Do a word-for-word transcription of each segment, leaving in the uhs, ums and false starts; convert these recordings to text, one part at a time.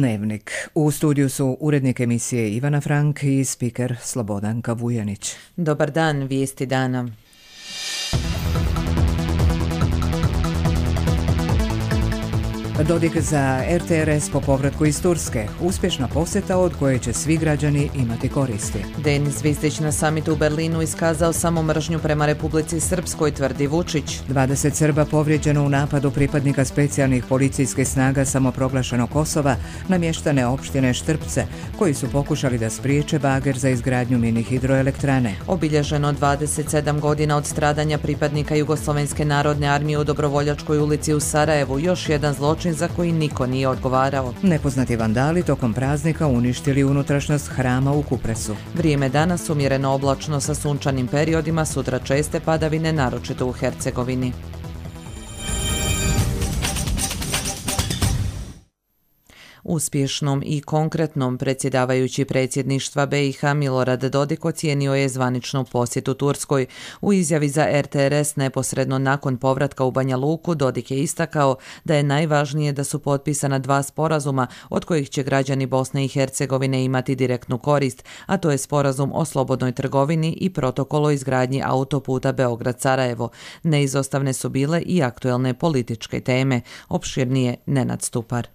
Dnevnik. U studiju su urednik emisije Ivana Frank i spiker Slobodanka Vujanić. Dobar dan, vijesti dana. Dodik za er te er es po povratku iz Turske. Uspješna posjeta od koje će svi građani imati koristi. Denis Zvizdić na samitu u Berlinu iskazao samo mržnju prema Republici Srpskoj, tvrdi Vučić. dvadeset Srba povrijeđeno u napadu pripadnika specijalnih policijskih snaga samoproglašenog Kosova na mještane opštine Štrpce, koji su pokušali da spriječe bager za izgradnju mini hidroelektrane. Obilježeno dvadeset sedam godina od stradanja pripadnika Jugoslovenske narodne armije u Dobrovoljačkoj ulici u Sarajevu, još jedan zločin za koji niko nije odgovarao. Nepoznati vandali tokom praznika uništili unutrašnjost hrama u Kupresu. Vrijeme danas umjereno oblačno sa sunčanim periodima, sutra česte padavine, naročito u Hercegovini. Uspješnom i konkretnom predsjedavajući predsjedništva be i ha Milorad Dodik ocijenio je zvaničnu posjetu Turskoj. U izjavi za er te er es neposredno nakon povratka u Banja Luku, Dodik je istakao da je najvažnije da su potpisana dva sporazuma od kojih će građani Bosne i Hercegovine imati direktnu korist, a to je sporazum o slobodnoj trgovini i protokol o izgradnji autoputa Beograd-Sarajevo. Neizostavne su bile i aktuelne političke teme. Opširnije Nenad Stupar.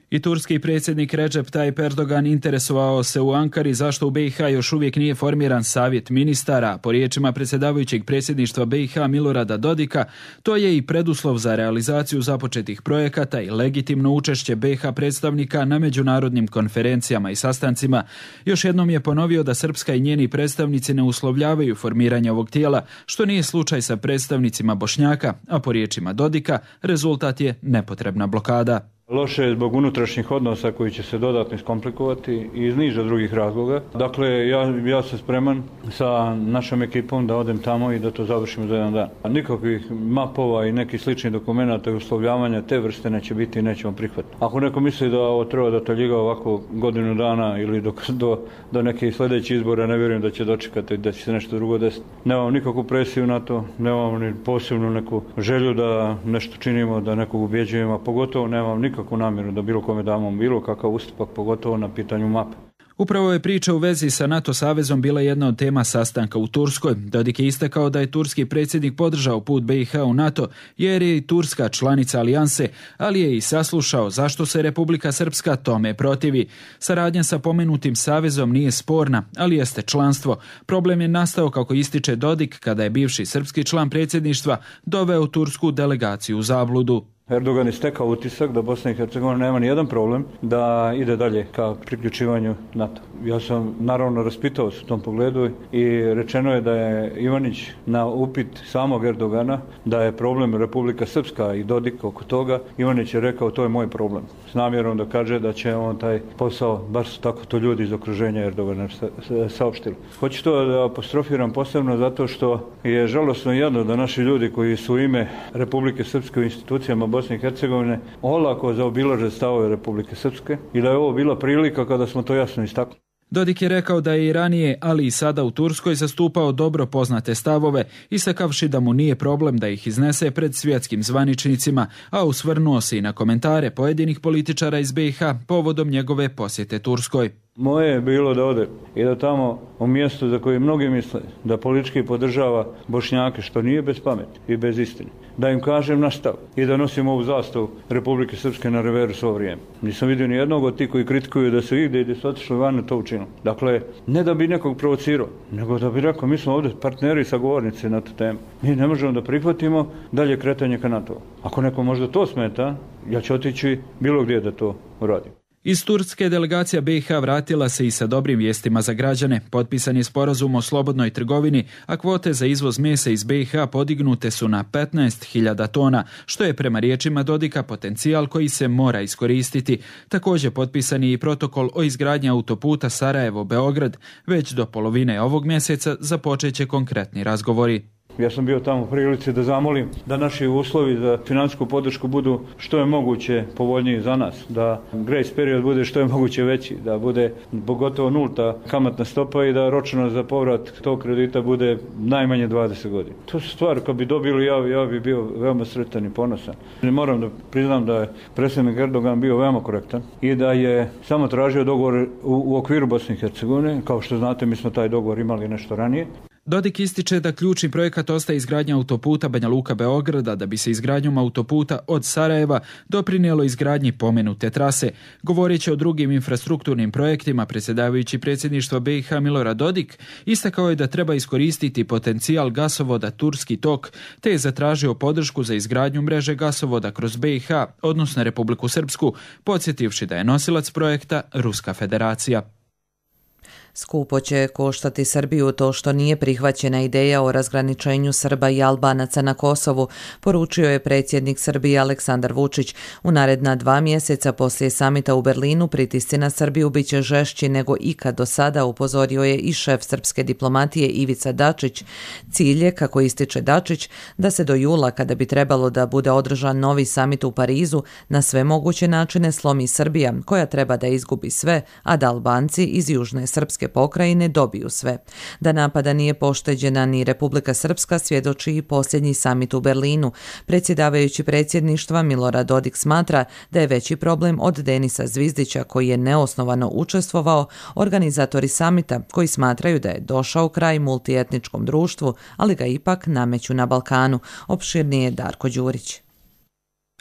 I turski predsjednik Recep Tayyip Erdogan interesovao se u Ankari zašto u be i ha još uvijek nije formiran savjet ministara. Po riječima predsjedavajućeg predsjedništva be i ha Milorada Dodika, to je i preduslov za realizaciju započetih projekata i legitimno učešće be i ha predstavnika na međunarodnim konferencijama i sastancima. Još jednom je ponovio da Srpska i njeni predstavnici ne uslovljavaju formiranje ovog tijela, što nije slučaj sa predstavnicima Bošnjaka, a po riječima Dodika rezultat je nepotrebna blokada. Loše je zbog unutrašnjih odnosa koji će se dodatno iskomplikovati i iz niza drugih razloga. Dakle, ja, ja sam spreman sa našom ekipom da odem tamo i da to završimo za jedan dan. Nikakvih mapova i nekih sličnih dokumenata i uslovljavanja te vrste neće biti i nećemo prihvatiti. Ako neko misli da ovo treba da taljiga ovako godinu dana ili do, do, do nekih sljedećih izbora, ne vjerujem da će dočekati da će se nešto drugo desiti. Nemam nikakvu presiju na to, nemam ni posebnu neku želju da nešto činimo, da nekog ubjeđujemo, a pogotovo nemam nikakvu kakvu namjeru da bilo kome damo bilo kakav ustupak, pogotovo na pitanju mape. Upravo je priča u vezi sa NATO savezom bila jedna od tema sastanka u Turskoj. Dodik je istakao da je turski predsjednik podržao put be i ha u NATO jer je i Turska članica alijanse, ali je i saslušao zašto se Republika Srpska tome protivi. Saradnja sa pomenutim savezom nije sporna, ali jeste članstvo. Problem je nastao, kako ističe Dodik, kada je bivši srpski član predsjedništva doveo tursku delegaciju u zabludu. Erdogan je stekao utisak da Bosna i Hercegovina nema ni jedan problem da ide dalje ka priključivanju NATO. Ja sam naravno raspitao se u tom pogledu i rečeno je da je Ivanić na upit samog Erdogana da je problem Republika Srpska i Dodik oko toga. Ivanić je rekao to je moj problem. S namjerom da kaže da će on taj posao, bar su tako to ljudi iz okruženja Erdogana saopštili. Hoću to da apostrofiram posebno zato što je žalosno i jadno da naši ljudi koji su u ime Republike Srpske u institucijama Bosne i Hercegovine olako zaobilaže stavove Republike Srpske i da je ovo bila prilika kada smo to jasno istakli. Dodik je rekao da je i ranije, ali i sada u Turskoj zastupao dobro poznate stavove, istakavši da mu nije problem da ih iznese pred svjetskim zvaničnicima, a usvrnuo se i na komentare pojedinih političara iz be i ha povodom njegove posjete Turskoj. Moje je bilo da ode i da tamo u mjestu za koje mnogi misle da politički podržava Bošnjake, što nije bez pameti i bez istine, da im kažem naš stav i da nosim ovu zastavu Republike Srpske na reveru svo vrijeme. Nisam vidio ni jednog od tih koji kritikuju da su igde i da su otišli van to učinili. Dakle, ne da bi nekog provocirao, nego da bi rekao mi smo ovdje partneri i sagovornici na tu temu. Mi ne možemo da prihvatimo dalje kretanje ka NATO. Ako neko možda to smeta, ja ću otići bilo gdje da to uradim. Iz Turske delegacija be i ha vratila se i sa dobrim vijestima za građane. Potpisan je sporazum o slobodnoj trgovini, a kvote za izvoz mesa iz be i ha podignute su na petnaest hiljada tona, što je prema riječima Dodika potencijal koji se mora iskoristiti. Također potpisan je i protokol o izgradnji autoputa Sarajevo-Beograd. Već do polovine ovog mjeseca započeće konkretni razgovori. Ja sam bio tamo u prilici da zamolim da naši uslovi za financijsku podršku budu što je moguće povoljniji za nas, da grace period bude što je moguće veći, da bude pogotovo nulta kamatna stopa i da ročnost za povrat tog kredita bude najmanje dvadeset godina. To su stvari, kad bi dobili, ja, ja bi bio veoma sretan i ponosan. Moram da priznam da je predsjednik Erdogan bio veoma korektan i da je samo tražio dogovor u, u okviru Bosne i Hercegovine. Kao što znate, mi smo taj dogovor imali nešto ranije. Dodik ističe da ključni projekat ostaje izgradnja autoputa Banja Luka-Beograda, da bi se izgradnjom autoputa od Sarajeva doprinijelo izgradnji pomenute trase. Govoreći o drugim infrastrukturnim projektima, predsjedavajući predsjedništva B i H Milorad Dodik istakao je da treba iskoristiti potencijal gasovoda Turski tok, te je zatražio podršku za izgradnju mreže gasovoda kroz B i H, odnosno Republiku Srpsku, podsjetivši da je nosilac projekta Ruska federacija. Skupo će koštati Srbiju to što nije prihvaćena ideja o razgraničenju Srba i Albanaca na Kosovu, poručio je predsjednik Srbije Aleksandar Vučić. U naredna dva mjeseca poslije samita u Berlinu pritisci na Srbiju bit će žešći nego ikad do sada, upozorio je i šef srpske diplomatije Ivica Dačić. Cilj je, kako ističe Dačić, da se do jula, kada bi trebalo da bude održan novi samit u Parizu, na sve moguće načine slomi Srbija, koja treba da izgubi sve, a da Albanci iz južne srpske pokrajine dobiju sve. Da napada nije pošteđena ni Republika Srpska svjedoči i posljednji samit u Berlinu. Predsjedavajući predsjedništva Milorad Dodik smatra da je veći problem od Denisa Zvizdića, koji je neosnovano učestvovao, organizatori samita koji smatraju da je došao kraj multietničkom društvu, ali ga ipak nameću na Balkanu. Opširnije Darko Đurić.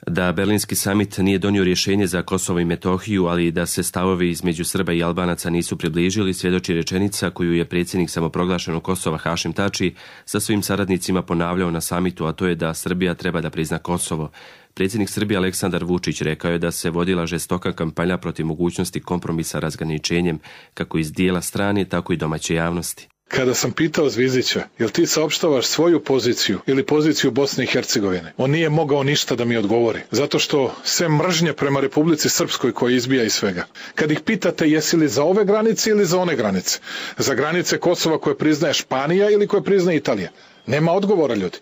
Da berlinski samit nije donio rješenje za Kosovo i Metohiju, ali da se stavovi između Srba i Albanaca nisu približili, svjedoči rečenica koju je predsjednik samoproglašenog Kosova Hašim Tači sa svojim saradnicima ponavljao na samitu, a to je da Srbija treba da prizna Kosovo. Predsjednik Srbije Aleksandar Vučić rekao je da se vodila žestoka kampanja protiv mogućnosti kompromisa razgraničenjem, kako iz dijela strane, tako i domaće javnosti. Kada sam pitao Zvizdića, jel ti saopštavaš svoju poziciju ili poziciju Bosne i Hercegovine, on nije mogao ništa da mi odgovori, zato što sve mržnje prema Republici Srpskoj koja izbija iz svega. Kad ih pitate jesi li za ove granice ili za one granice, za granice Kosova koje priznaje Španija ili koje priznaje Italija, nema odgovora, ljudi.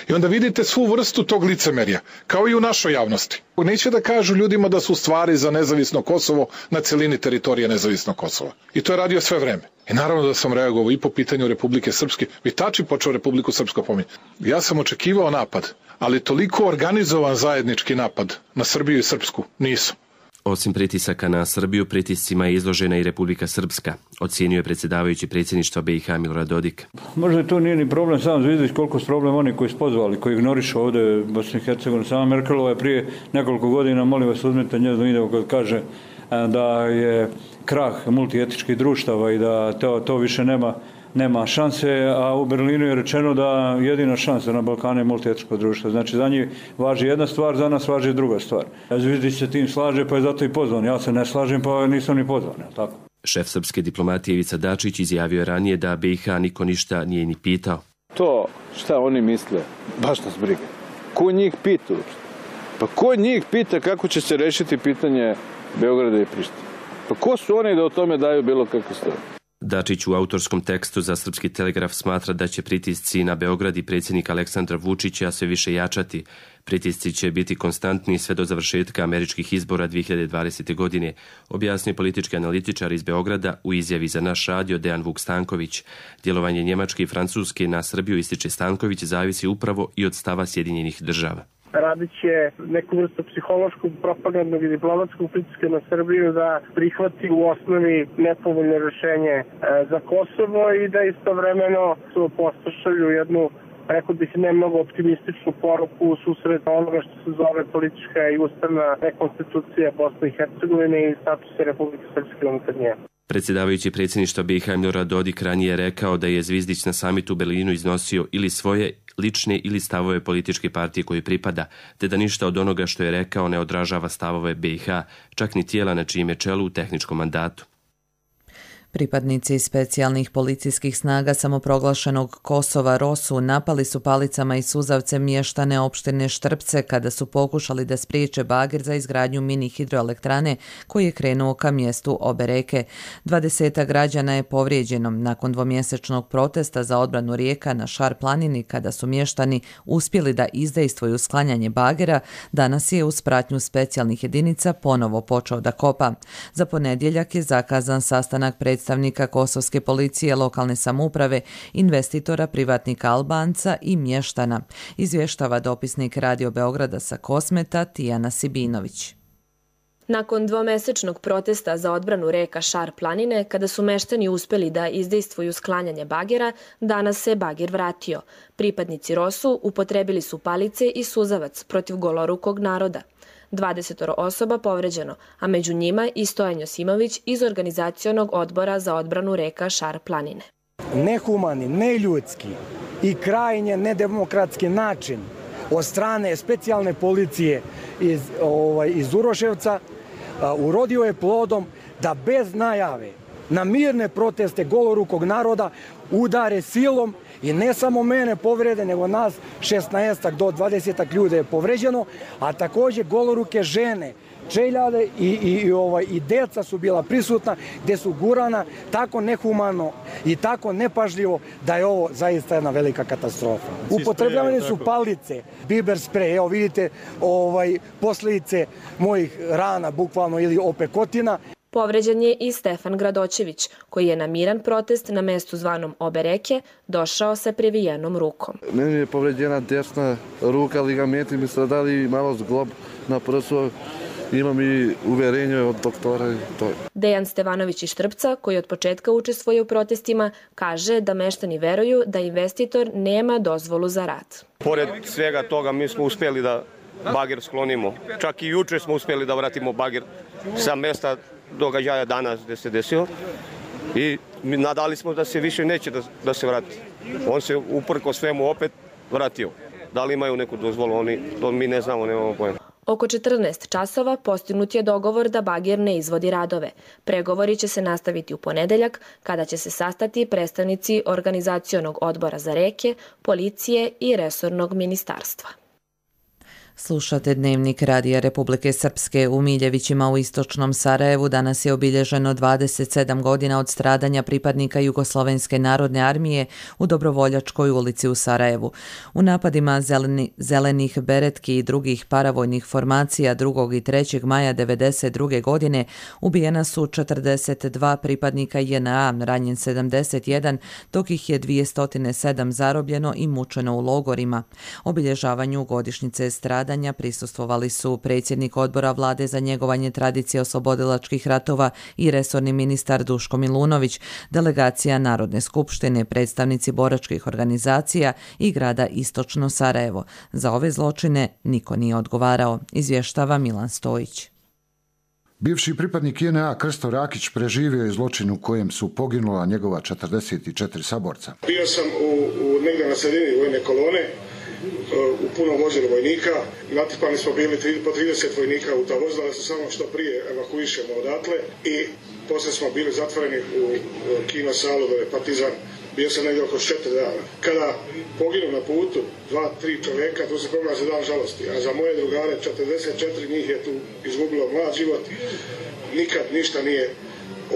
I onda vidite svu vrstu tog licemerja, kao i u našoj javnosti. Neće da kažu ljudima da su stvari za nezavisno Kosovo na celini teritorije nezavisnog Kosova. I to je radio sve vreme. I naravno da sam reagovao i po pitanju Republike Srpske. I Tači počeo Republiku Srpsku pominjati. Ja sam očekivao napad, ali toliko organizovan zajednički napad na Srbiju i Srpsku nisu. Osim pritisaka na Srbiju, pritiscima je izložena i Republika Srpska, ocijenio je predsjedavajući predsjedništva B i H Milorad Dodik. Možda to nije ni problem sam Zvizdić, koliko su problem oni koji su pozvali, koji ignorišu ovdje Bosnu i Hercegovinu. Sama Merkelova je prije nekoliko godina, molim vas uzmite njezno video kad kaže da je krah multietičkih društava i da to, to više nema nema šanse, a u Berlinu je rečeno da jedina šansa na Balkanu je multietničko društvo. Znači za njih važi jedna stvar, za nas važi druga stvar. Zvizdić se tim slaže, pa je zato i pozvan. Ja se ne slažem, pa nisam ni pozvan. Tako. Šef srpske diplomatije Ivica Dačić izjavio je ranije da B i H niko ništa nije ni pitao. To šta oni misle, baš nas briga. Ko njih pita? Pa ko njih pita kako će se rešiti pitanje Beograda i Prištine? Pa ko su oni da o tome daju bilo kakve stvari? Dačić u autorskom tekstu za Srpski telegraf smatra da će pritisci na Beograd i predsjednik Aleksandra Vučića sve više jačati. Pritisci će biti konstantni sve do završetka američkih izbora dvije hiljade dvadesete. godine, objasnio politički analitičar iz Beograda u izjavi za naš radio Dejan Vuk Stanković. Djelovanje Njemačke i Francuske na Srbiju, ističe Stanković, zavisi upravo i od stava Sjedinjenih država. Radit će neku vrstu psihološkog, propagandnog i diplomatskog pritiska na Srbiju da prihvati u osnovi nepovoljno rješenje za Kosovo i da istovremeno su postašalju jednu, rekao bih, ne mnogo optimističnu poruku u susret onoga što se zove politička i ustavna rekonstitucija Bosne i Hercegovine i statusa Republike Srpske unutar nje. Predsjedavajući predsjedništva B i H Milorad Dodik ranije rekao da je Zvizdić na samitu u Berlinu iznosio ili svoje lične ili stavove političke partije koju pripada, te da ništa od onoga što je rekao ne odražava stavove B i H, čak ni tijela na čijem je čelu u tehničkom mandatu. Pripadnici specijalnih policijskih snaga samoproglašenog Kosova Rosu napali su palicama i suzavcem mještane opštine Štrpce kada su pokušali da spriječe bager za izgradnju mini hidroelektrane koji je krenuo ka mjestu obe reke. Dvadesetak građana je povrijeđeno nakon dvomjesečnog protesta za odbranu rijeka na Šar planini kada su mještani uspjeli da izdejstvuju sklanjanje bagera. Danas je uz pratnju specijalnih jedinica ponovo počeo da kopa. Za ponedjeljak je zakazan sastanak predstavnika predstavnika kosovske policije, lokalne samouprave, investitora, privatnika Albanca i mještana, izvještava dopisnik Radio Beograda sa Kosmeta Tijana Sibinović. Nakon dvomesečnog protesta za odbranu reka Šar planine, kada su meštani uspjeli da izdejstvuju sklanjanje bagera, danas se bager vratio. Pripadnici Rosu upotrebili su palice i suzavac protiv golorukog naroda. dvadeset osoba povređeno, a među njima i Stojan Josimović iz organizacionog odbora za odbranu reka Šar planine. Nehumani, neljudski i krajnje nedemokratski način od strane specijalne policije iz, ovaj, iz Uroševca a, urodio je plodom da bez najave na mirne proteste golorukog naroda udare silom i ne samo mene povrede, nego nas šesnaestak do dvadesetak ljudi je povređeno, a također goloruke žene, čeljade i, i, i, ovaj, i deca su bila prisutna, gdje su gurana tako nehumano i tako nepažljivo da je ovo zaista jedna velika katastrofa. Upotrebljavane su palice, biber sprej, evo vidite ovaj, posljedice mojih rana, bukvalno, ili opekotina. Povređen je i Stefan Gradoćević, koji je na miran protest na mestu zvanom Obe reke došao sa previjenom rukom. Meni je povređena desna ruka, ligamenti mi stradali, malo zglob na prsu. Imam i uverenje od doktora. Dejan Stevanović iz Štrpca, koji od početka učestvuje u protestima, kaže da meštani veruju da investitor nema dozvolu za rad. Pored svega toga mi smo uspjeli da bager sklonimo. Čak i juče smo uspjeli da vratimo bager sa mesta događaja danas gdje se desilo i nadali smo da se više neće da, da se vrati. On se uprko svemu opet vratio. Da li imaju neku dozvolu, oni, to mi ne znamo, nemamo pojma. Oko četrnaest časova postignut je dogovor da bager ne izvodi radove. Pregovori će se nastaviti u ponedeljak, kada će se sastati predstavnici organizacionog odbora za reke, policije i resornog ministarstva. Slušate Dnevnik Radija Republike Srpske. U Miljevićima u istočnom Sarajevu danas je obilježeno dvadeset sedam godina od stradanja pripadnika Jugoslovenske narodne armije u Dobrovoljačkoj ulici u Sarajevu. U napadima zeleni, zelenih beretki i drugih paravojnih formacija drugog i trećeg maja devedeset druge godine ubijena su četrdeset dva pripadnika J N A, ranjen sedamdeset jedan, dok ih je dvjesto sedam zarobljeno i mučeno u logorima. Obilježavanju godišnjice stradanja prisustvovali su predsjednik odbora vlade za njegovanje tradicije oslobodilačkih ratova i resorni ministar Duško Milunović, delegacija Narodne skupštine, predstavnici boračkih organizacija i grada Istočno Sarajevo. Za ove zločine niko nije odgovarao, izvještava Milan Stojić. Bivši pripadnik J N A Krsto Rakić preživio je zločin u kojem su poginula njegova četrdeset četiri saborca. Bio sam u, u negdje na sredini vojne kolone, u punom vozilu vojnika. Natipani smo bili po trideset vojnika u ta vozila, da se samo što prije evakuišemo odatle i poslije smo bili zatvoreni u kino salu dole Partizan. Bio sam negdje oko četiri dana. Kada poginu na putu dva, tri čovjeka, to se proglaša dan žalosti. A za moje drugare četrdeset četiri njih je tu izgubilo mlad život. Nikad ništa nije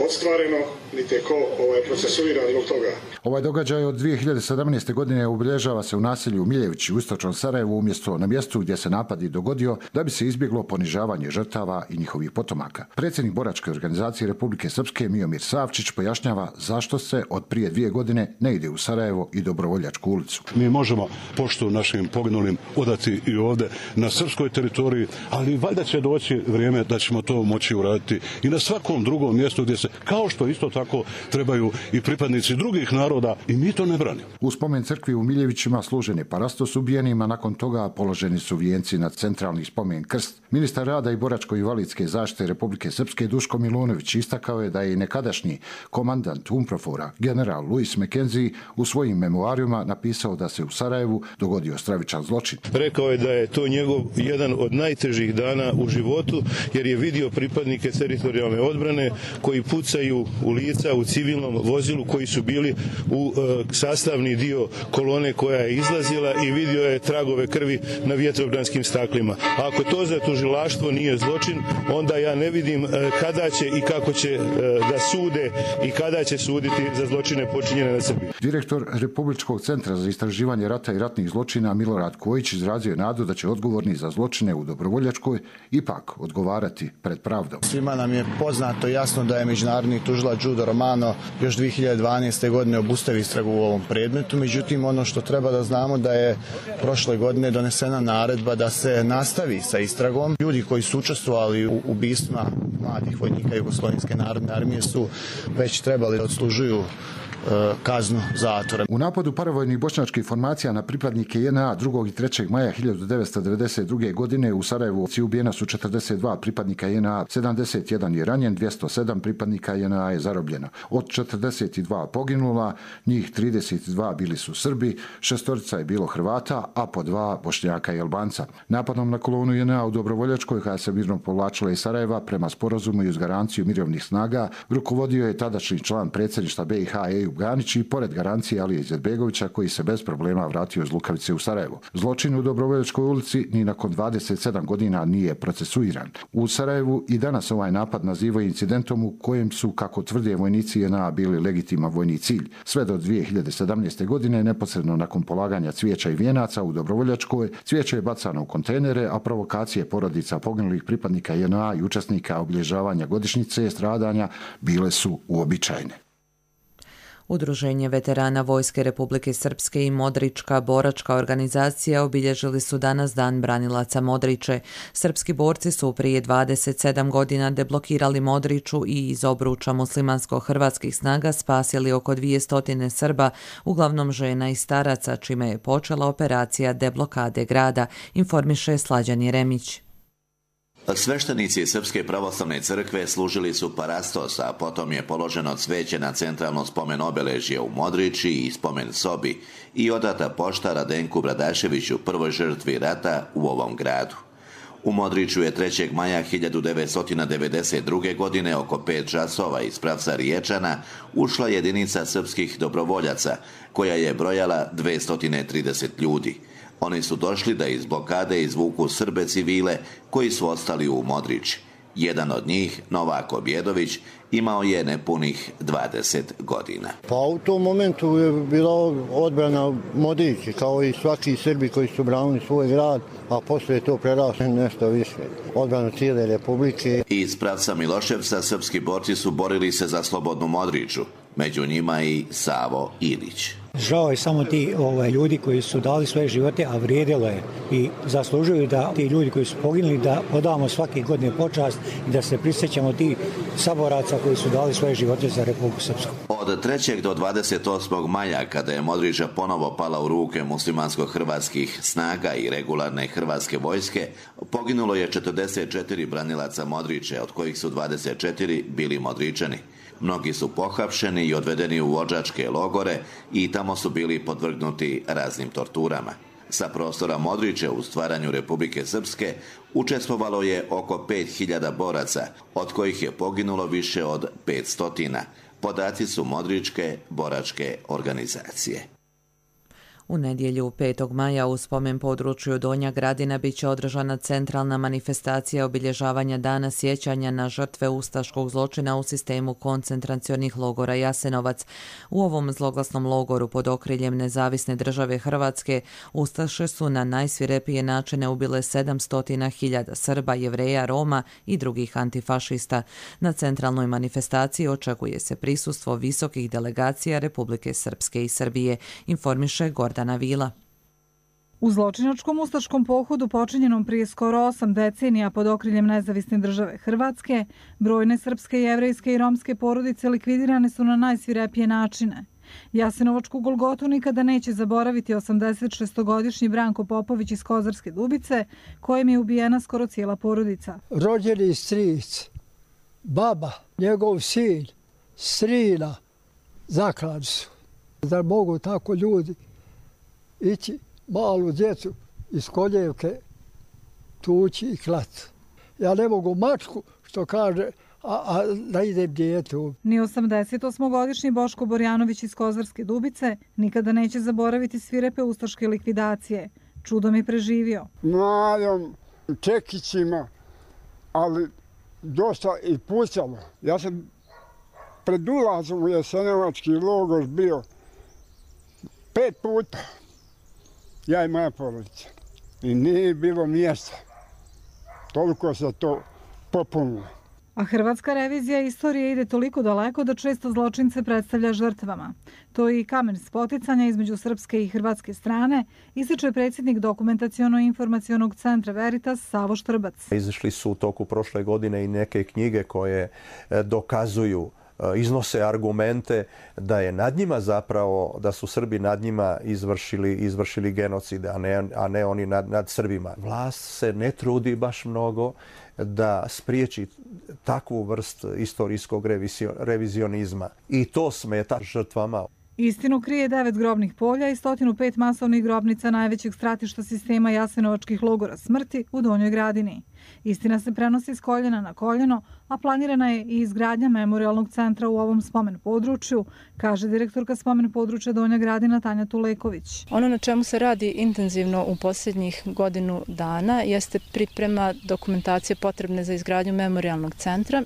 ostvareno, niti je ko ovaj, procesuiran zbog toga. Ovaj događaj od dvije hiljade sedamnaeste. godine obilježava se u naselju Miljevići u istočnom Sarajevu, umjesto na mjestu gdje se napad i dogodio, da bi se izbjeglo ponižavanje žrtava i njihovih potomaka. Predsjednik boračke organizacije Republike Srpske Miomir Savčić pojašnjava zašto se od prije dvije godine ne ide u Sarajevo i Dobrovoljačku ulicu. Mi možemo poštu našim poginulim odati i ovdje na srpskoj teritoriji, ali valjda će doći vrijeme da ćemo to moći uraditi i na svakom drugom mjestu gdje se, kao što isto tako trebaju i pripadnici drugih naroda naroda i mi to ne branimo. U spomen crkvi u Miljevićima služen je parastos ubijenima, nakon toga položeni su vijenci na centralni spomen krst. Ministar rada i boračko-invalidske zaštite Republike Srpske Duško Milunović istakao je da je nekadašnji komandant UNPROFOR-a general Louis McKenzie u svojim memoarima napisao da se u Sarajevu dogodio stravičan zločin. Rekao je da je to njegov jedan od najtežih dana u životu, jer je vidio pripadnike teritorijalne odbrane koji pucaju u lica u civilnom vozilu, koji su bili u e, sastavni dio kolone koja je izlazila, i vidio je tragove krvi na vjetrobranskim staklima. A ako to za tužilaštvo nije zločin, onda ja ne vidim e, kada će i kako će e, da sude i kada će suditi za zločine počinjene na Srbiji. Direktor Republičkog centra za istraživanje rata i ratnih zločina Milorad Kojić izrazio je nadu da će odgovorni za zločine u Dobrovoljačkoj ipak odgovarati pred pravdom. Svima nam je poznato jasno da je međunarodni tužilac Giudo Romano još dvije hiljade dvanaeste. godine obustavio istragu u ovom predmetu. Međutim, ono što treba da znamo da je prošle godine donesena naredba da se nastavi sa istragom. Ljudi koji su učestvovali u ubistvima mladih vojnika Jugoslovenske narodne armije su već trebali da odslužuju kaznu zatvora. U napadu paravojnih bošnjačkih formacija na pripadnike J N A drugog i trećeg maja hiljadu devetsto devedeset druge. godine u Sarajevu ubijena su četrdeset dva pripadnika J N A, sedamdeset jedan je ranjen, dvjesto sedam pripadnika J N A je zarobljeno. Od četrdeset dva poginula, njih trideset dva bili su Srbi, šestorica je bilo Hrvata, a po dva Bošnjaka i Albanca. Napadom na kolonu J N A u Dobrovoljačkoj, koja se mirno povlačila iz Sarajeva prema sporazumu i uz garanciju mirovnih snaga, rukovodio je tadašnji član predsjedništva B i H Ejub Ganić i pored garancije Alije Izetbegovića, koji se bez problema vratio iz Lukavice u Sarajevo. Zločin u Dobrovoljačkoj ulici ni nakon dvadeset sedam godina nije procesuiran. U Sarajevu i danas ovaj napad nazivaju incidentom u kojem su, kako tvrde vojnici J N A, bili legitiman vojni cilj. Sve do dvije hiljade sedamnaeste. godine, neposredno nakon polaganja cvijeća i vijenaca u Dobrovoljačkoj, cvijeće je bacano u kontejnere, a provokacije porodica poginulih pripadnika J N A i učesnika obilježavanja godišnjice stradanja bile su uobičajene. Udruženje veterana Vojske Republike Srpske i Modrička boračka organizacija obilježili su danas Dan branilaca Modriče. Srpski borci su prije dvadeset sedam godina deblokirali Modriču i iz obruča muslimansko-hrvatskih snaga spasili oko dvjesto Srba, uglavnom žena i staraca, čime je počela operacija deblokade grada, informiše Slađan Jeremić. Sveštenici Srpske pravoslavne crkve služili su parastos, a potom je položeno cveće na centralno spomen obeležje u Modriči i spomen sobi i odata pošta Radenku Bradaševiću, prvoj žrtvi rata u ovom gradu. U Modriču je trećeg maja hiljadu devetsto devedeset druge. godine oko pet časova iz pravca Riječana ušla jedinica srpskih dobrovoljaca koja je brojala dvjesto trideset ljudi. Oni su došli da iz blokade izvuku Srbe civile koji su ostali u Modriči. Jedan od njih, Novak Objedović, imao je nepunih dvadeset godina. Pa u tom momentu je bila odbrana Modrići, kao i svaki Srbi koji su branili svoj grad, a poslije je to preraslo nešto više. Odbranu cijele Republike. Iz pravca Miloševca srpski borci su borili se za slobodnu Modriču, među njima i Savo Ilić. Žao je samo ti ovaj, ljudi koji su dali svoje živote, a vrijedilo je i zaslužuju da ti ljudi koji su poginuli da odamo svake godine počast i da se prisjećamo ti saboraca koji su dali svoje živote za Republiku Srpsku. Od trećeg do dvadeset osmog maja, kada je Modriča ponovo pala u ruke muslimansko-hrvatskih snaga i regularne hrvatske vojske, poginulo je četrdeset četiri branilaca Modriče, od kojih su dvadeset četiri bili Modričani. Mnogi su pohapšeni i odvedeni u odžačke logore i tamo su bili podvrgnuti raznim torturama. Sa prostora Modriče u stvaranju Republike Srpske učestvovalo je oko pet hiljada boraca, od kojih je poginulo više od petsto. Podaci su Modričke boračke organizacije. U nedjelju petog maja u spomen području Donja Gradina bit će održana centralna manifestacija obilježavanja dana sjećanja na žrtve ustaškog zločina u sistemu koncentracionih logora Jasenovac. U ovom zloglasnom logoru pod okriljem Nezavisne države Hrvatske ustaše su na najsvirepije načine ubile sedamsto hiljada Srba, Jevreja, Roma i drugih antifašista. Na centralnoj manifestaciji očekuje se prisustvo visokih delegacija Republike Srpske i Srbije, informiše Gordana Vila. U zločinačkom ustaškom pohodu počinjenom prije skoro osam decenija pod okriljem Nezavisne države Hrvatske, brojne srpske, jevrejske i romske porodice likvidirane su na najsvirepije načine. Jasenovačku golgotu nikada neće zaboraviti osamdeset šestogodišnji Branko Popović iz Kozarske Dubice, kojem je ubijena skoro cijela porodica. Rođeni stric, baba, njegov sin, strina, zaklali su. Da mogu tako ljudi ići malu djecu iz koljevke tući i klati. Ja ne mogu mačku, što kaže, a, a da idem djetu. Ni osamdesetosmogodišnji Boško Borjanović iz Kozarske Dubice nikada neće zaboraviti svirepe ustaške likvidacije. Čudom je preživio. Mladom čekićima, ali dosta i pucalo. Ja sam pred ulazom u Jasenovački logor bio pet puta. Ja i moja porodica. I nije bilo mjesta. Toliko se to popunilo. A hrvatska revizija istorije ide toliko daleko da često zločince predstavlja žrtvama. To je i kamen spoticanja između srpske i hrvatske strane, ističe predsjednik Dokumentaciono-informacionog centra Veritas Savo Štrbac. Izašli su u toku prošle godine i neke knjige koje dokazuju, iznose argumente da je nad njima zapravo, da su Srbi nad njima izvršili, izvršili genocid, a ne, a ne oni nad, nad Srbima. Vlast se ne trudi baš mnogo da spriječi takvu vrst istorijskog revizionizma. I to smeta žrtvama. Istinu krije devet grobnih polja i sto pet masovnih grobnica najvećeg stratišta sistema jasenovačkih logora smrti u Donjoj Gradini. Istina se prenosi s koljena na koljeno, a planirana je i izgradnja memorijalnog centra u ovom spomen području, kaže direktorka spomen područja Donja Gradina Tanja Tuleković. Ono na čemu se radi intenzivno u posljednjih godinu dana jeste priprema dokumentacije potrebne za izgradnju memorijalnog centra.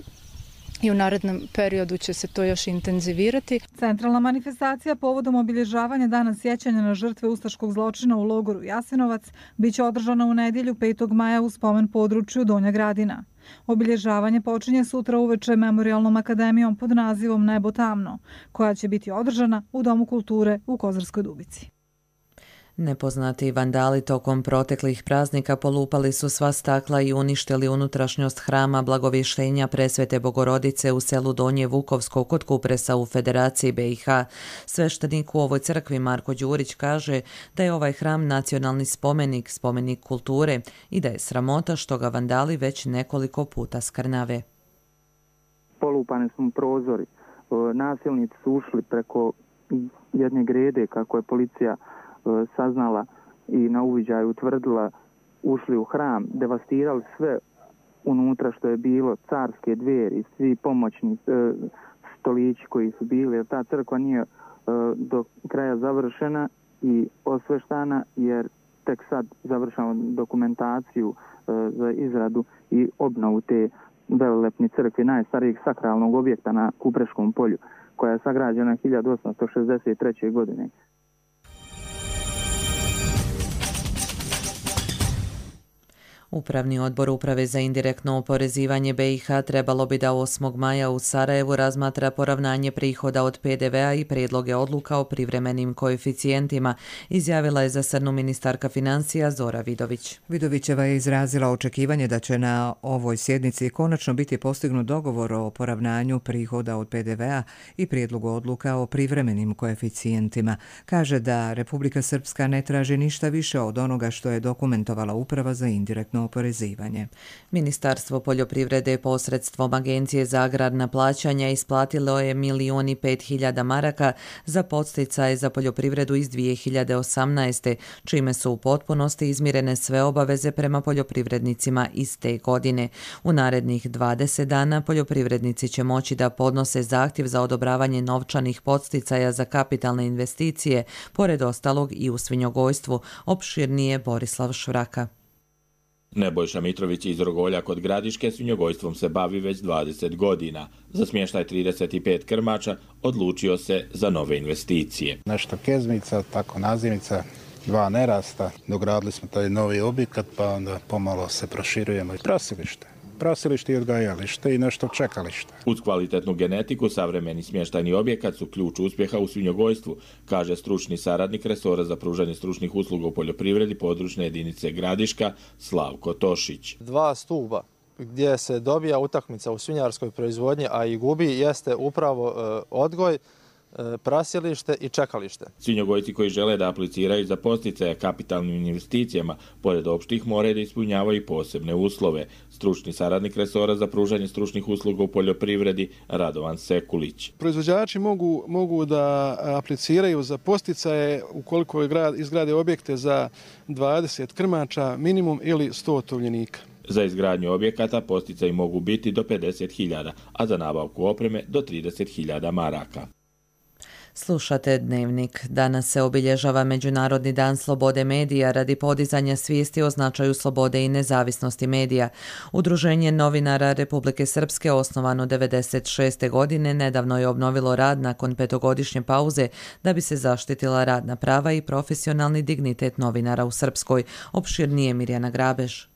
I u narednom periodu će se to još intenzivirati. Centralna manifestacija povodom obilježavanja Dana sjećanja na žrtve ustaškog zločina u logoru Jasenovac biće održana u nedjelju petog maja u spomen području Donja Gradina. Obilježavanje počinje sutra uveče Memorijalnom akademijom pod nazivom Nebo tamno, koja će biti održana u Domu kulture u Kozarskoj Dubici. Nepoznati vandali tokom proteklih praznika polupali su sva stakla i uništili unutrašnjost hrama Blagovještenja Presvete Bogorodice u selu Donje Vukovsko kod Kupresa u Federaciji B i H. Sveštenik u ovoj crkvi Marko Đurić kaže da je ovaj hram nacionalni spomenik, spomenik kulture i da je sramota što ga vandali već nekoliko puta skrnave. Polupane su prozori. Nasilnici su ušli preko jedne grede, kako je policija saznala i na uviđaju utvrdila, ušli u hram, devastirali sve unutra što je bilo, carske dveri, svi pomoćni e, stolići koji su bili, jer ta crkva nije e, do kraja završena i osveštana, jer tek sad završamo dokumentaciju e, za izradu i obnovu te velelepne crkve, najstarijeg sakralnog objekta na Kupreškom polju, koja je sagrađena hiljadu osamsto šezdeset treće. godine. Upravni odbor Uprave za indirektno oporezivanje B i H trebalo bi da osmog maja u Sarajevu razmatra poravnanje prihoda od P D V-a i prijedloge odluka o privremenim koeficijentima, izjavila je za Srnu ministarka financija Zora Vidović. Vidovićeva je izrazila očekivanje da će na ovoj sjednici konačno biti postignut dogovor o poravnanju prihoda od P D V-a i prijedlogu odluka o privremenim koeficijentima. Kaže da Republika Srpska ne traži ništa više od onoga što je dokumentovala Uprava za indirektno oporezivanje. Ministarstvo poljoprivrede posredstvom Agencije za agrarna plaćanja isplatilo je milion i pet hiljada maraka za podsticaje za poljoprivredu iz dvije hiljade osamnaeste. čime su u potpunosti izmirene sve obaveze prema poljoprivrednicima iz te godine. U narednih dvadeset dana poljoprivrednici će moći da podnose zahtjev za odobravanje novčanih podsticaja za kapitalne investicije, pored ostalog i u svinjogojstvu, opširnije Borislav Švraka. Nebojša Mitrović iz Rogolja kod Gradiške svinjogojstvom se bavi već dvadeset godina. Za smještaj trideset pet krmača odlučio se za nove investicije. Nešto kezmica, tako nazivnica, dva nerasta. Dogradili smo taj novi objekat, pa onda pomalo se proširujemo. Prosilište. Prosilište i odgajalište i nešto čekalište. Uz kvalitetnu genetiku, savremeni smještajni objekat su ključ uspjeha u svinjogojstvu, kaže stručni saradnik resora za pružanje stručnih usluga u poljoprivredi područne jedinice Gradiška Slavko Tošić. Dva stuba gdje se dobija utakmica u svinjarskoj proizvodnji, a i gubi, jeste upravo e, odgoj, prasilište i čekalište. Svinjogojci koji žele da apliciraju za podsticaje kapitalnim investicijama, pored opštih, moraju da ispunjavaju posebne uslove. Stručni saradnik resora za pružanje stručnih usluga u poljoprivredi Radovan Sekulić. Proizvođači mogu, mogu da apliciraju za podsticaje ukoliko izgrade objekte za dvadeset krmača minimum ili sto tovljenika. Za izgradnju objekata podsticaji mogu biti do pedeset hiljada, a za nabavku opreme do trideset hiljada maraka. Slušate Dnevnik. Danas se obilježava Međunarodni dan slobode medija radi podizanja svijesti o značaju slobode i nezavisnosti medija. Udruženje novinara Republike Srpske, osnovano devedeset šeste. godine, nedavno je obnovilo rad nakon petogodišnje pauze da bi se zaštitila radna prava i profesionalni dignitet novinara u Srpskoj. Opširnije Mirjana Grabež.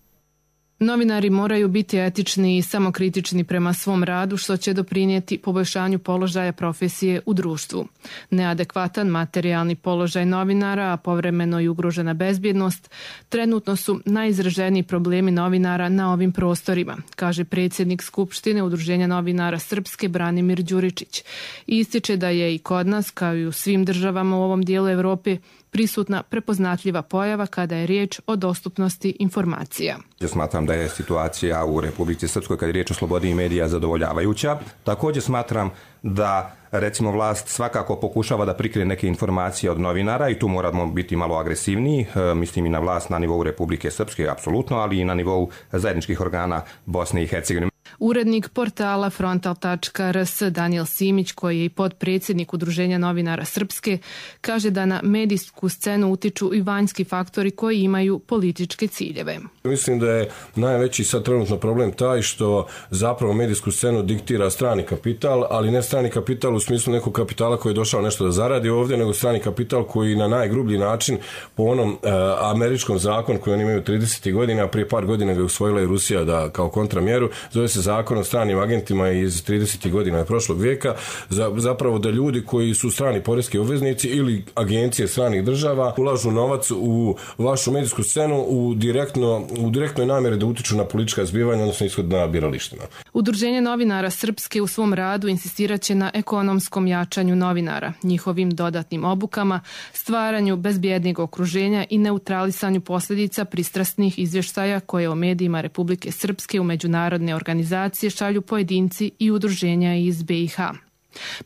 Novinari moraju biti etični i samokritični prema svom radu, što će doprinijeti poboljšanju položaja profesije u društvu. Neadekvatan materijalni položaj novinara, a povremeno i ugrožena bezbjednost, trenutno su najizraženiji problemi novinara na ovim prostorima, kaže predsjednik Skupštine Udruženja novinara Srpske Branimir Đuričić. I ističe da je i kod nas, kao i u svim državama u ovom dijelu Evrope, prisutna prepoznatljiva pojava kada je riječ o dostupnosti informacija. Ja smatram da je situacija u Republici Srpskoj kada je riječ o slobodi medija zadovoljavajuća. Također smatram da recimo vlast svakako pokušava da prikrije neke informacije od novinara i tu moramo biti malo agresivniji, mislim i na vlast na nivou Republike Srpske, apsolutno, ali i na nivou zajedničkih organa Bosne i Hercegovine. Urednik portala frontal tačka r s Daniel Simić, koji je i podpredsjednik Udruženja novinara Srpske, kaže da na medijsku scenu utiču i vanjski faktori koji imaju političke ciljeve. Mislim da je najveći sad trenutno problem taj što zapravo medijsku scenu diktira strani kapital, ali ne strani kapital u smislu nekog kapitala koji je došao nešto da zaradi ovdje, nego strani kapital koji na najgrublji način po onom e, američkom zakonu koji oni imaju tridesetih godina, a prije par godina ga je usvojila i Rusija da kao kontramjeru, zove se zakon o stranim agentima iz tridesetih godina prošlog vijeka, za, zapravo da ljudi koji su strani poreski obveznici ili agencije stranih država ulažu novac u vašu medijsku scenu u, direktno, u direktnoj namjeri da utiču na politička zbivanja, odnosno ishod na biralištima. Udruženje novinara Srpske u svom radu insistiraće na ekonomskom jačanju novinara, njihovim dodatnim obukama, stvaranju bezbjednijeg okruženja i neutralisanju posljedica pristrasnih izvještaja koje o medijima Republike Srpske u međunarodne organizacije šalju pojedinci i udruženja iz be i ha.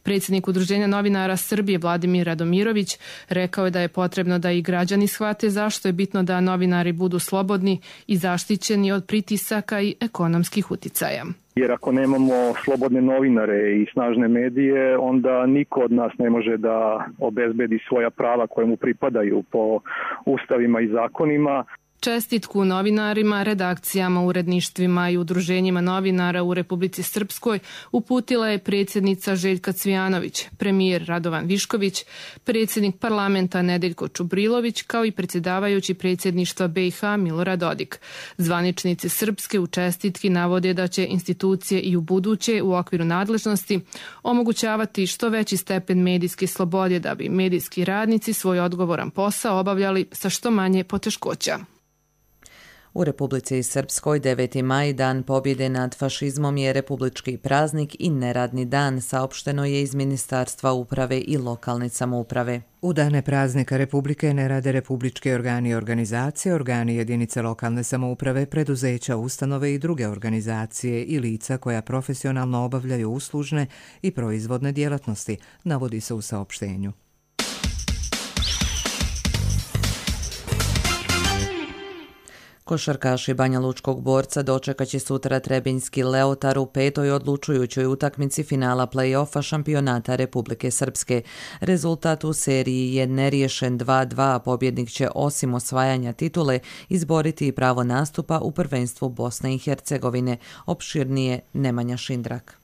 Predsjednik Udruženja novinara Srbije Vladimir Radomirović rekao je da je potrebno da i građani shvate zašto je bitno da novinari budu slobodni i zaštićeni od pritisaka i ekonomskih uticaja. Jer ako nemamo slobodne novinare i snažne medije, onda niko od nas ne može da obezbedi svoja prava koje mu pripadaju po ustavima i zakonima. Čestitku novinarima, redakcijama, uredništvima i udruženjima novinara u Republici Srpskoj uputila je predsjednica Željka Cvijanović, premijer Radovan Višković, predsjednik parlamenta Nedeljko Čubrilović, kao i predsjedavajući predsjedništva be i ha Milorad Dodik. Zvaničnici Srpske u čestitki navode da će institucije i u buduće u okviru nadležnosti omogućavati što veći stepen medijske slobode da bi medijski radnici svoj odgovoran posao obavljali sa što manje poteškoća. U Republici Srpskoj deveti maj, dan pobjede nad fašizmom, je republički praznik i neradni dan, saopšteno je iz Ministarstva uprave i lokalne samouprave. U dane praznika Republike ne rade republički organi i organizacije, organi jedinice lokalne samouprave, preduzeća, ustanove i druge organizacije i lica koja profesionalno obavljaju uslužne i proizvodne djelatnosti, navodi se u saopštenju. Košarkaši Banja Lučkog Borca dočekat će sutra Trebinjski Leotar u petoj odlučujućoj utakmici finala play-offa šampionata Republike Srpske. Rezultat u seriji je neriješen dva dva, a pobjednik će osim osvajanja titule izboriti i pravo nastupa u prvenstvu Bosne i Hercegovine. Opširnije Nemanja Šindrak.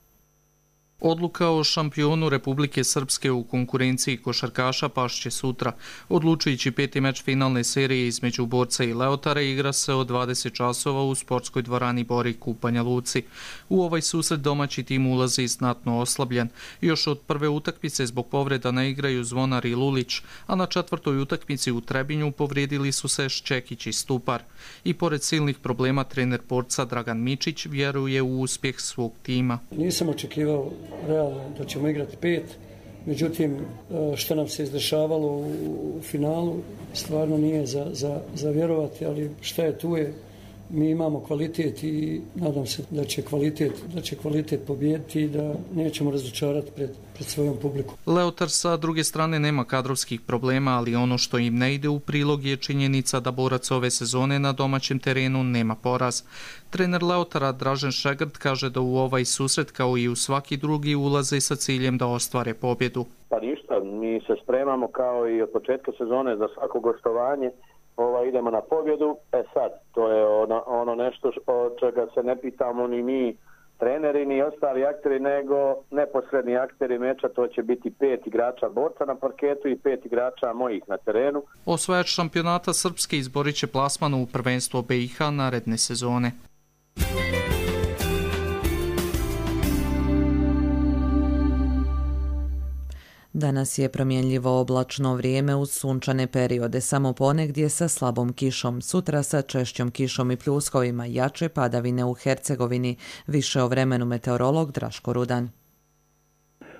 Odluka o šampionu Republike Srpske u konkurenciji košarkaša pašće sutra. Odlučujući peti meč finalne serije između Borca i Leotara igra se od dvadeset časova u sportskoj dvorani Borik u Banja Luci. U ovaj susret domaći tim ulazi znatno oslabljen. Još od prve utakmice zbog povreda ne igraju Zvonar i Lulić, a na četvrtoj utakmici u Trebinju povrijedili su se Ščekić i Stupar. I pored silnih problema trener Borca Dragan Mičić vjeruje u uspjeh svog tima. Nisam očekivao realno da ćemo igrati pet, Međutim, što nam se izdešavalo u finalu, stvarno nije za, za, za vjerovati, ali šta je tu je. Mi imamo kvalitet i nadam se da će kvalitet, da će kvalitet pobijediti i da nećemo razočarati pred, pred svojom publikom. Leotar sa druge strane nema kadrovskih problema, ali ono što im ne ide u prilog je činjenica da borac ove sezone na domaćem terenu nema poraz. Trener Leotara Dražen Šegrt kaže da u ovaj susret kao i u svaki drugi ulaze sa ciljem da ostvare pobjedu. Pa ništa, mi se spremamo kao i od početka sezone za svako gostovanje. Ova, idemo na pobjedu. E sad, to je ono, ono nešto od čega se ne pitamo ni mi treneri ni ostali akteri, nego neposredni akteri meča. To će biti pet igrača borca na parketu i pet igrača mojih na terenu. Osvajač šampionata Srpske izborit će plasman u prvenstvo B i H naredne sezone. Danas je promjenljivo oblačno vrijeme uz sunčane periode, samo ponegdje sa slabom kišom. Sutra sa češćom kišom i pljuskovima, jače padavine u Hercegovini. Više o vremenu meteorolog Draško Rudan.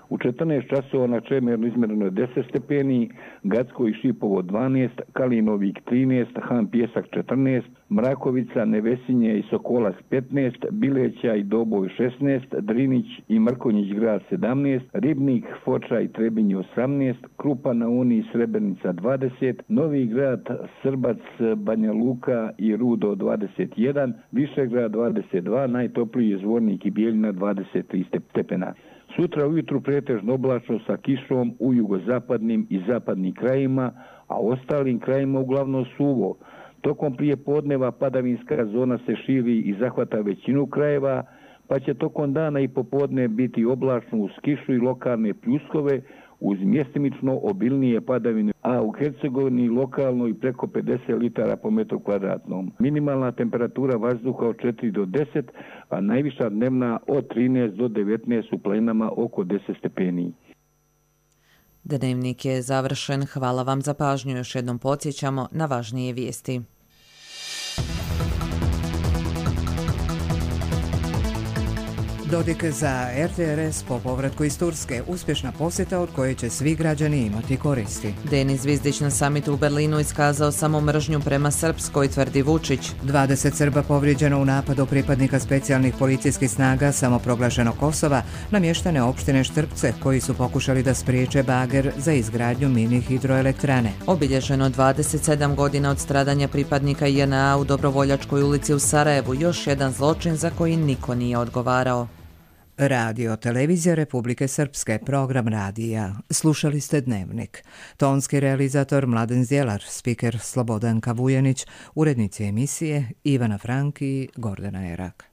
U četrnaest časova na Čemernu izmjereno je deset stepeni, Gacko i Šipovo dvanaest, Kalinovik trinaest, Han Pjesak četrnaest, Mrakovica, Nevesinje i Sokolac petnaest, Bileća i Doboj šesnaest, Drinić i Mrkonjić grad sedamnaest, Ribnik, Foča i Trebinje osamnaest, Krupa na Uni i Srebrenica dvadeset, Novi grad, Srbac, Banja Luka i Rudo dvadeset jedan, Višegrad dvadeset dva, najtopliji je Zvornik i Bijeljina dvadeset tri stepena. Sutra ujutru pretežno oblačno sa kišom u jugozapadnim i zapadnim krajima, a ostalim krajima uglavnom suvo. Tokom prije podneva padavinska zona se širi i zahvata većinu krajeva, pa će tokom dana i popodne biti oblačno uz kišu i lokalne pljuskove uz mjestimično obilnije padavine, a u Hercegovini lokalno i preko pedeset litara po metru kvadratnom. Minimalna temperatura vazduha od četiri do deset, a najviša dnevna od trinaest do devetnaest, u planinama oko deset stepeni. Dnevnik je završen. Hvala vam za pažnju. Još jednom podsjećamo na važnije vijesti. Dodik za R T R S po povratku iz Turske, uspješna posjeta od koje će svi građani imati koristi. Denis Zvizdić na samitu u Berlinu iskazao samo mržnju prema Srpskoj, tvrdi Vučić. dvadeset Srba povrijeđeno u napadu pripadnika specijalnih policijskih snaga samoproglašenog Kosova na mještane opštine Štrpce koji su pokušali da spriječe bager za izgradnju mini hidroelektrane. Obilježeno dvadeset sedam godina od stradanja pripadnika J N A u Dobrovoljačkoj ulici u Sarajevu, još jedan zločin za koji niko nije odgovarao. Radio Televizija Republike Srpske, program radija. Slušali ste Dnevnik. Tonski realizator Mladen Zjelar, spiker Slobodan Kavujanić, urednici emisije Ivana Frank i Gordana Erak.